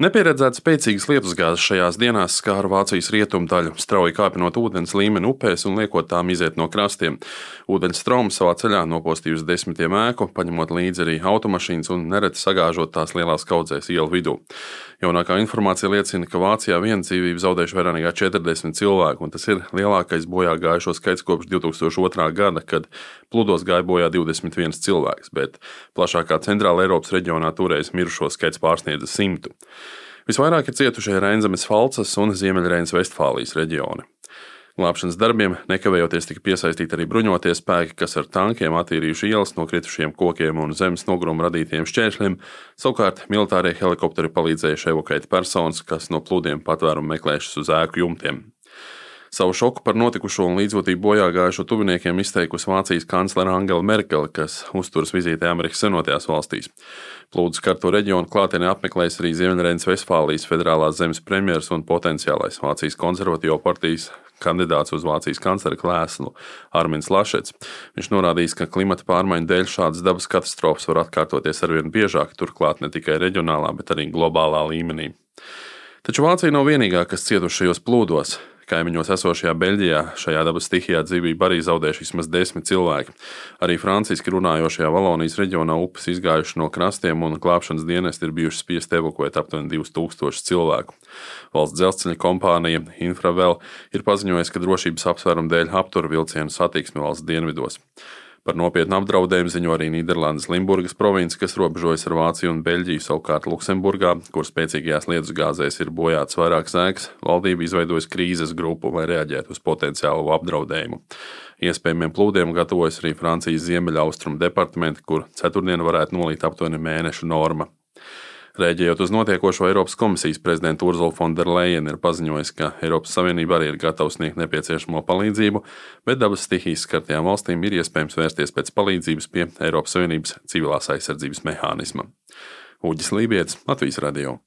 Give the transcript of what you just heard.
Nepieredzēts spēcīgas lietusgāzes šajās dienās skāra Vācijas rietumu daļu, strauji kāpinot ūdens līmeni upēs un liekot tām iziet no krastiem. Ūdens straums savā ceļā nopostījusi desmitiem ēku, paņemot līdzi arī automašīnas un nereti sagāžot tās lielās kaudzēs ielu vidū. Jaunākā informācija liecina, ka Vācijā viena dzīvību zaudējuši vairāk nekā 40 cilvēku, un tas ir lielākais bojā gājušo skaits kopš 2002. gada, kad plūdos gāja bojā 21 cilvēks, bet plašākā Centrāla Eiropas reģionā toreiz mirušo skaits pārsniedza 100. Visvairāk ir cietušie Reinzemes Falcas un Ziemeļreinas Vestfālijas reģioni. Glābšanas darbiem nekavējoties tika piesaistīti arī bruņotie spēki, kas ar tankiem attīrījuši ielas no kritušiem kokiem un zemes nogruma radītiem šķēršļiem. Savukārt militārie helikopteri palīdzējuši evakuēt personas, kas no plūdiem patvērumu meklējušas uz ēku jumtiem. Savu šoku par notikušo un līdzjūtību bojā gājušo tuviniekiem izteikusi Vācijas kanclere Angela Merkele, kas uzturas vizītē Amerikas Savienotajās valstīs. Plūdu skarto reģionu klātienē apmeklējis arī Ziemeļreinas Vestfālijas federālās zemes premjers un potenciālais Vācijas konservatīvo partijas kandidāts uz Vācijas kanclera krēslu Arminds Lašets. Viņš norādījis, ka klimata pārmaiņu dēļ šādas dabas katastrofas var atkārtoties arvien biežāk, turklāt ne tikai reģionālā, bet arī globālā līmenī. Taču Vācija nav vienīgā, kas cietuši šajos plūdos. Kaimiņos esošajā Beļģijā šajā dabas stihijā dzīvību arī zaudējuši vismaz 10 cilvēki. Arī franciski runājošajā Valonijas reģionā upes izgājuši no krastiem un glābšanas dienesti ir bijuši spiesti evakuēt aptuveni 2000 cilvēku. Valsts dzelzceļa kompānija Infravel ir paziņojusi, ka drošības apsvērumu dēļ aptur vilcienu satiksmi valsts dienvidos. Par nopietnu apdraudējumu ziņo arī Nīderlandes Limburgas province, kas robežojas ar Vāciju un Beļģiju, savukārt Luksemburgā, kur spēcīgajās lietusgāzēs ir bojāts vairākas ēkas, valdība izveidojusi krīzes grupu, lai reaģētu uz potenciālo apdraudējumu. Iespējamiem plūdiem gatavojas arī Francijas ziemeļaustrumu departamenti, kur ceturtdien varētu nolīt aptuveni mēneša norma. Rēģējot uz notiekošo, Eiropas komisijas prezidenta Ursula von der Leyen ir paziņojusi, ka Eiropas Savienība arī ir gatava sniegt nepieciešamo palīdzību, bet dabas stihijas skartajām valstīm ir iespējams vērsties pēc palīdzības pie Eiropas Savienības civilās aizsardzības mehānisma. Uģis Lībietis, Latvijas radio.